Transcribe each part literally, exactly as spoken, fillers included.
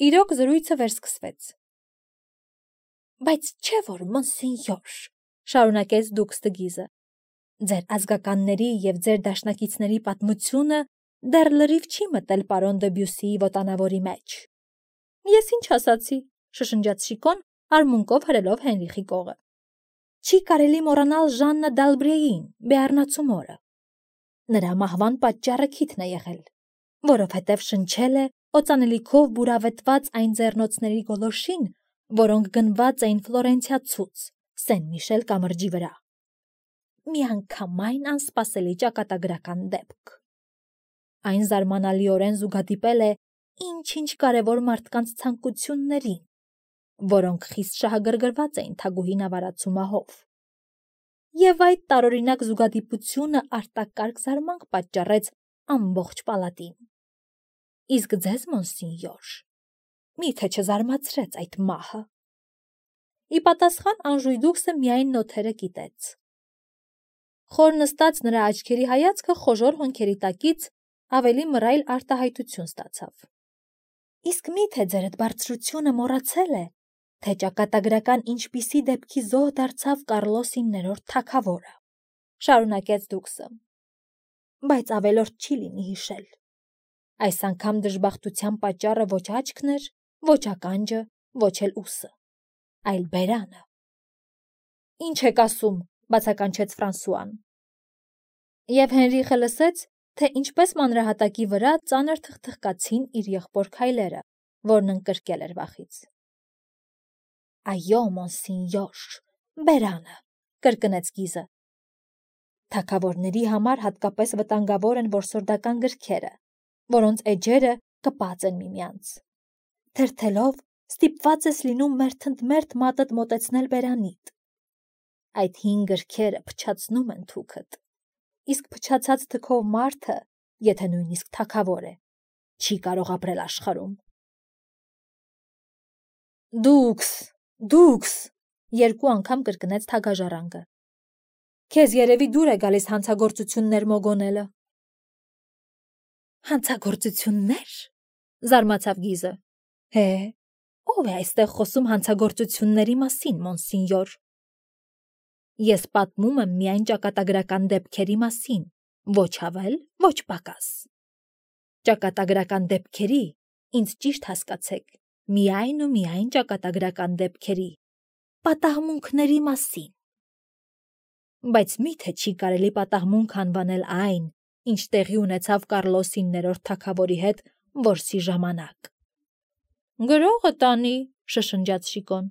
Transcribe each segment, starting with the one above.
Իրոք զրույցը վերսկսվեց։ Բայց չէ որ մոնսենյոր, շարունակեց դուքս Դգիզը, ձեր ազգականների և ձեր դաշնակիցների պատմությունը դեռ լրիվ չի մտել պարոն Դեբյուսիի ոտանավորի մեջ։ Ես ինչ ասացի, շշնջաց Շիկոն, արմունկով հրելով Հենրիխի կողը։ Չի կարելի մոռանալ Ժաննա Դալբրեին, Բեառնացու մորը։ Նրա մահվան պատճառը քիթն է եղել, որովհետև շնչել է օծանելիքով բուրավետված այն ձեռնոցների գոլորշին, որոնք գնված էին Ֆլորենցիա ցուց, Սեն Միշել կամրջի վրա։ Միանգամայն անսպասելի ճակատագրական դեպք։ Այն զարմանալիորեն զուգադիպել է ինչ-ինչ կարևոր մարդկանց ցանկություններին, որոնք խիստ շահագրգռված էին թագուհի նավարացու մահով։ Եվ այդ տարօրինակ զուգադիպությունը արտակարգ զարմանք պատճառեց ամբողջ պալատին։ Իսկ ձեզ, մոնսենյոր, միթե չզարմացրեց այդ մահը։ Ի պատասխան Անժույդուքսը միայն նոթերը կիտեց։ Խոր նստած նրա աչքերի հայացքը խոժոր հոնքերի տակից ավելի մռայլ արտահայտություն ստացավ։ Իսկ միթե ձերդ բարձրությունը մոռացել է, թե ճակատագրական ինչպիսի դեպքի զոհ դարձավ Կարլոս իններորդ թագավորը, շարունակեց դուքսը։ Բայց ավելորդ չի լինի հիշել։ Այս անգամ դժբախտության պատճառը ոչ աչքն էր, ոչ ականջը, ոչ էլ ուսը, այլ բերանը։ Ինչ եք ասում, բացականչեց Ֆրանսուան։ Եվ Հենրիխը լսեց, թե ինչպես մանրահատակի վրա ծանր թխթխկացին իր եղբոր քայլերը, որն ընկրկել էր վախից։ Այո, մոնսենյոր, բերանը, կրկնեց Գիզը։ Թագավորների համար հատկապես վտանգավոր են որսորդական գրքերը, որոնց էջերը կպած են միմյանց։ Թերթելով ստիպված ես լինում մերթընդմերթ մատդ մոտեցնել բերանիդ։ Այդ հին գրքերը փչացնում են թուքդ, իսկ փչացած թքով մարդը, եթե նույնիսկ թագավոր է, չի կարող ապրել աշխարհում։ Դուքս, դուքս, երկու անգամ կրկնեց թագաժառանգը։ Քեզ երևի դուր է գալիս հանցագործություններ մոգոնելը։ Հանցագործություններ, զարմացավ Գիզը։ Հե, ով է այստեղ խոսում հանցագործությունների մասին, մոնսենյոր։ Ես պատմում եմ միայն ճակատագրական դեպքերի մասին, ոչ ավել, ոչ պակաս։ Ճակատագրական դեպքերի, ինձ ճիշտ հասկացեք, միայն ու միայն ճակատագրական դեպքերի, պատահմունքների մասին։ Բայց միթե չի կարելի պատահմունք անվանել այն, ինչ տեղի ունեցավ Կարլոս իններորդ թագավորի հետ որսի ժամանակ։ Գրողը տանի, շշնջաց Շիկոն։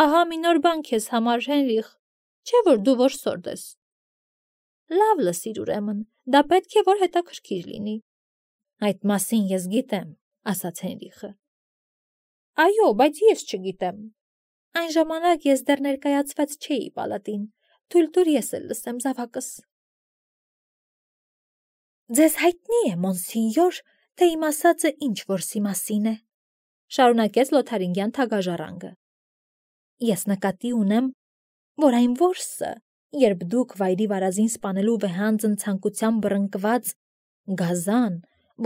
Ահա մի նոր բան քեզ համար, Հենրիխ, չէ որ դու որսորդ ես։ Լավ լսիր ուրեմն, դա պետք է որ հետաքրքիր լինի։ Այդ մասին ես գիտեմ, ասաց Հենրիխը։ Այո, բայց ես չգիտեմ։ Այն ժամանակ ես դեռ ներկայացված չէի պալատին, թույլ տուր ես էլ լսեմ զավակս։ Ձեզ հայտնի է, մոնսենյոր, թե իմ ասածը ինչ որսի մասին է, շարունակեց Լոթարինգյան թագաժառանգը։ Ես նկատի ունեմ, որ այն որսը, երբ դուք վայրի վարազին սպանելու վեհանձն ցանկությամբ բռնկված գազան,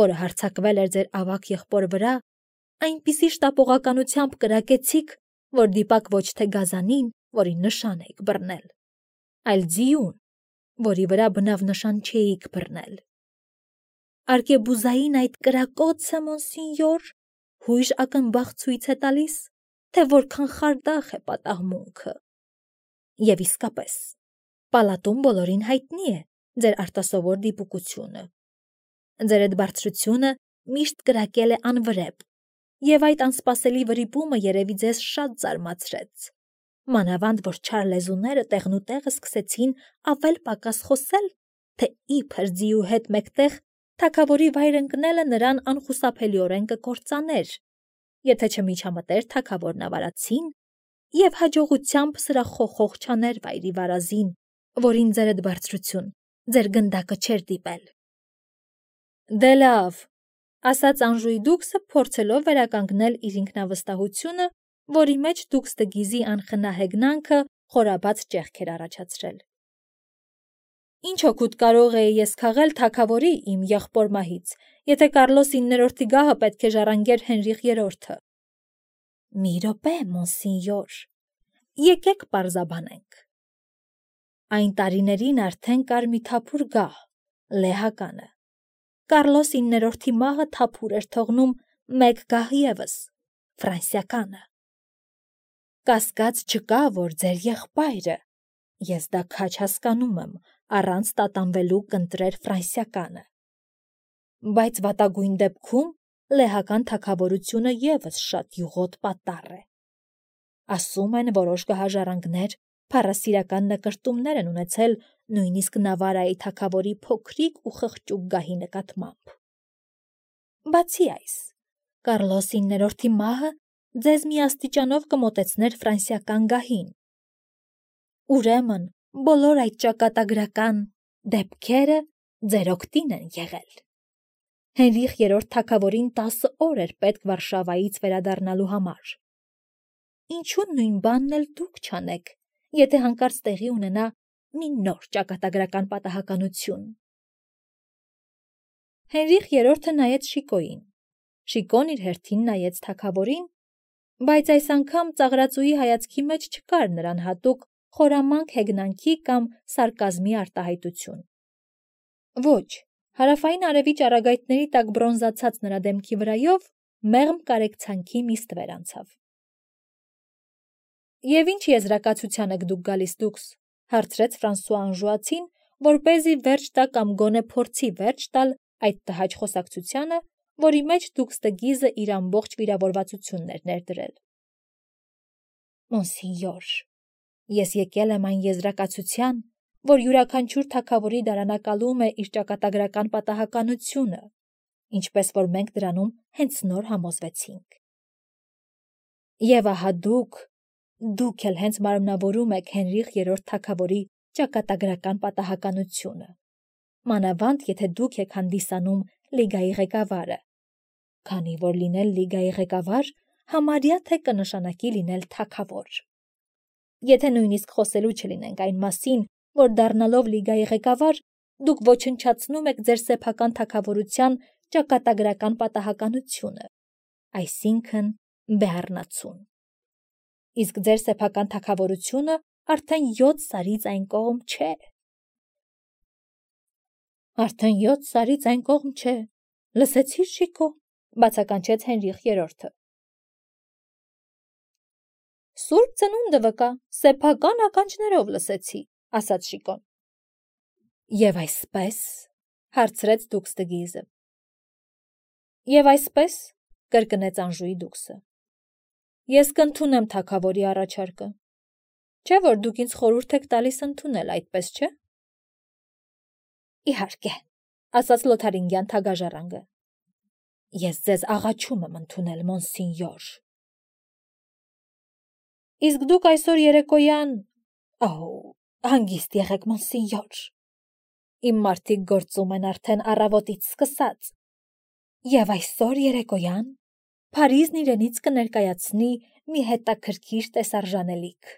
որը հարձակվել էր ձեր ավագ եղբոր վրա, այնպիսի շտապողականությամբ կրակեցիք, որ դիպակ ոչ թե գազանին, որի նշան էիք բռնել, այլ ձիուն, որի վրա բնավ նշան չէիք բռնել։ Արկեբուզային այդ կրակոցը, մոնսենյոր, հույժ ակնբախ ցույց է տալիս, թե որքան խարդախ է պատահմունքը։ Եվ իսկապես, պալատում բոլորին հայտնի է ձեր արտասովոր դիպուկությունը։ Ձեր այդ բարձրությունը միշտ կրակել է անվրեպ, և այդ անսպասելի վրիպումը երևի ձեզ շատ զարմացրեց։ Մանավանդ, որ չար լեզուները տեղնուտեղը սկսեցին ավել պակաս խոսել, թե իբր ձիու հետ մեկտեղ թագավորի վայր ընկնելը նրան անխուսափելիորեն կկործաներ, եթե չմիջամտեր թագավոր նավարացին և հաջողությամբ սրախոխող չաներ վայրի վարազին, որին ձեր այդ բարձրություն, ձեր գնդակը չէր դիպել։ Դե լավ, ասաց Անժույդուքսը, փորձելով վերականգնել իր ինքնավստահությունը, որի մեջ դուքս Դգիզի անխնա հեգնանքը խորաբաց ճեղք էր առաջացրել։ Ինչ օգուտ կարող էի ես քաղել թագավորի իմ եղբոր մահից, եթե Կարլոս իններորդի գահը պետք է ժառանգեր Հենրիխ երրորդը, Մի րոպե, մոնսինյոր, եկեք պարզաբանենք։ Այն տարիներին արդեն կար մի թափուր գահ, լեհականը։ Կարլոս իններորդի մահը թափուր էր թողնում մեկ գահ ևս, ֆրանսիականը։ Կասկած չկա, որ ձեր եղբայրը, ես դա քաչ հասկանում եմ, առանց տատանվելու կընտրեր ֆրանսիականը։ Բայց վատագույն դեպքում լեհական թագավորությունը ևս շատ յուղոտ պատառ է։ Ասում են, որոշ գահաժառանգներ փառասիրական նկրտումներ են ունեցել նույնիսկ Նավարայի թագավորի փոքրիկ ու խղճուկ գահի նկատմամբ։ Բացի այս, Կարլոս իններորդի մահը ձեզ մի աստիճանով կմոտեցներ ֆրանսիական գահին։ Ուրեմն, բոլոր այդ ճակատագրական դեպքերը ձեր օգտին են եղել։ Հենրիխ երրորդ թագավորին տասը օր էր պետք Վարշավայից վերադառնալու համար։ Ինչու նույն բանն էլ դուք չանեք, եթե հանկարծ տեղի ունենա մի նոր ճակատագրական պատահականություն։ Հենրիխ երրորդը նայեց Շիկոյին։ Շիկոն իր հերթին նայեց թագավորին, բայց այս անգամ ծաղրածուի հայացքի մեջ չկար նրան հատուկ խորամանկ հեգնանքի կամ սարկազմի արտահայտություն։ Ոչ, հարավային արևի ճառագայթների տակ բրոնզացած նրա դեմքի վրայով մեղմ կարեկցանքի մի ստվեր անցավ։ Եվ ինչ եզրակացության եք դուք գալիս դուքս, հարցրեց Ֆրանսուଆ Անժուացին, որպեսզի վերջ տա կամ գոնե փորձի վերջ տալ այդ տհաճ խոսակցությանը, որի մեջ դուքս Տգիզը իր ամբողջ վիրավորվածությունն էր ներդրել։ Մոնսինյոր, ես եկել եմ այն եզրակացության, որ յուրաքանչյուր թագավորի դարանակալում է իր ճակատագրական պատահականությունը, ինչպես որ մենք դրանում հենց նոր համոզվեցինք։ Եվ ահա դուք, դուք էլ հենց մարմնավորում եք Հենրիխ երրորդ թագավորի ճակատագրական պատահականությունը, մանավանդ եթե դուք եք հանդիսանում լիգայի ղեկավարը, քանի որ լինել լիգայի ղեկավար համարյա թե կնշանակի լինել թագավոր։ Եթե նույնիսկ խոսելու չլինենք այն մասին, որ դառնալով լիգայի ղեկավար, դուք ոչնչացնում եք ձեր սեփական թագավորության ճակատագրական պատահականությունը, այսինքն Բեառնացուն։ Իսկ ձեր սեփական թագավորությունը արդեն յոթ սարից այն կողմ չէ։ Արդեն յոթ սարից այն կողմ չէ, լսեցի՞ր, Շիկո, բացականչեց Հենրիխ երրորդը։ Սուրբ ծնունդը վկա, սեփական ականջներով լսեցի, ասաց Շիկոն։ Եվ այսպես, հարցրեց դուքս Տգիզը։ Եվ այսպես, կրկնեց Անժուի դուքսը։ Ես կընդունեմ թագավորի առաջարկը, չէ՞ որ դուք ինձ խորհուրդ եք տալիս ընդունել, այդպես չէ։ Իհարկե, ասաց Լոթարինգյան թագաժառանգը։ Ես ձեզ աղաչում եմ ընդունել, մոնսինյոր։ Իսկ դուք այսօր երեկոյան, ահ, հանգիստ եղեք, մոնսինյոր։ Իմ մարդիկ գործում են արդեն առավոտից սկսած։ Եվ այսօր երեկոյան Փարիզն իրենից կներկայացնի մի հետաքրքիր տեսարժանելիք։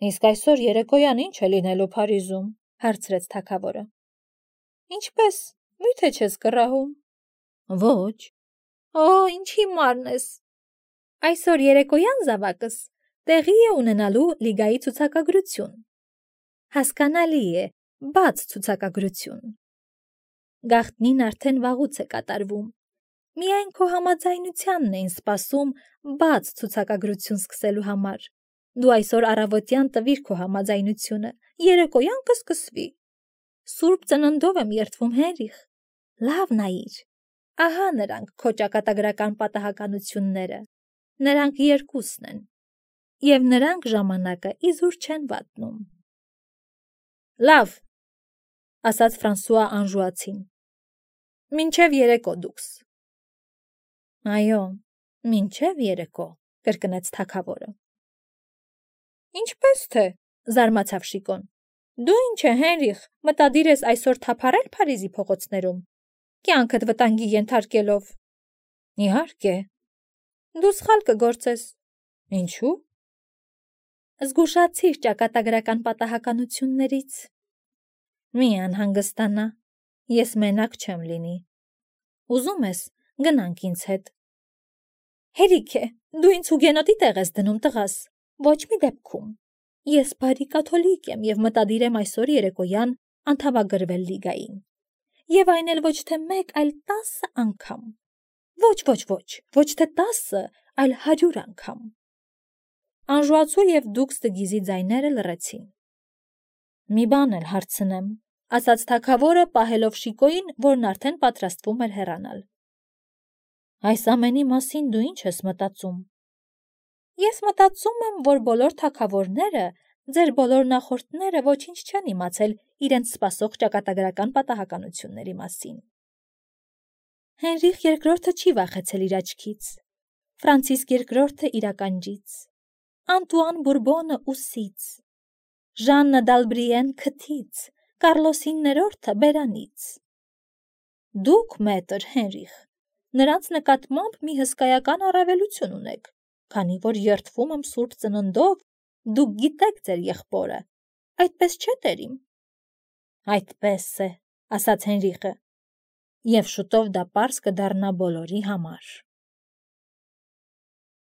Իսկ այսօր երեկոյան ինչ է լինելու Փարիզում, հարցրեց թագավորը։ Ինչպես, մի՞թե չես կռահում։ Ոչ։ Օ, ինչ հիմարն ես։ Այսօր երեկոյան զավակս տեղի է ունենալու լիգայի ցուցակագրություն։ Հասկանալի է, բաց ցուցակագրություն։ Գաղտնին արդեն վաղուց է կատարվում։ Միայն քո համաձայնությանն էին սպասում բաց ցուցակագրություն սկսելու համար։ Դու այսօր առավոտյան տվիր քո համաձայնությունը, երեկոյան կսկսվի։ Սուրբ ծննդով եմ երդվում, Հենրիխ։ Լավ նայիր։ Ահա նրանք քո ճակատագրական պատահականությունները։ Նրանք երկուսն են։ Եվ նրանք ժամանակը իզուր չեն վատնում։ Լավ, ասաց Ֆրանսուଆ Անժուացին։ Մինչև երեկո դուքս։ Այո, մինչև երեկո, կրկնեց թագավորը։ Ինչպես թե, զարմացավ Շիկոն։ Դու ինչ է, Հենրիխ, մտադիր ես այսօր թափառել Փարիզի փողոցներում, կյանքդ վտանգի ենթարկելով։ Իհարկե։ Դու սխալ կգործես։ Ինչու՞։ Զգուշացիր ճակատագրական պատահականություններից։ Մի անհանգստանա, ես մենակ չեմ լինի։ Ուզում ես, գնանք ինձ հետ։ Հերիք է, դու ինձ հուգենոտի տեղ ես դնում, տղաս, ոչ մի դեպքում։ Ես բարի կաթոլիկ եմ և մտադիր եմ այսօր երեկոյան անդամագրվել լիգային։ Եվ այն էլ ոչ թե մեկ, այլ տասը անգամ։ Ոչ, ոչ, ոչ, ոչ թե տասը, այլ հարյուր անգամ։ Անժուացու և դուքս տգիզի ձայները լռեցին։ Մի բան էլ հարցնեմ, ասաց թագավորը, պահելով Շիկոյին, որն արդեն պատրաստվում էր հեռանալ։ Այս ամենի մասին դու ինչ ես մտածում։ Ես մտածում եմ, որ բոլոր թագավորները, ձեր բոլոր նախորդները ոչինչ չեն իմացել իրենց սպասող ճակատագրական պատահականությունների մասին։ Հենրիխ երկրորդը չի վախեցել իր աչքից, Ֆրանցիսկ երկրորդը իր ականջից, Անտուան Բուրբոնը ուսից, Ժաննը Դալբրիեն քթից, Կարլոսին ներորդը բերանից։ Դուք, մետր Հենրիխ, նրանց նկատմամբ մի հսկայական առավելություն ունեք, քանի որ երդվում եմ Սուրբ Ծննդով, դուք գիտեք ձեր եղբորը, այդպես չէ՞ տերիմ։ Այդպես է, ասաց Հենրիխը, և շուտով դա պարզ կդառնա բոլորի համար։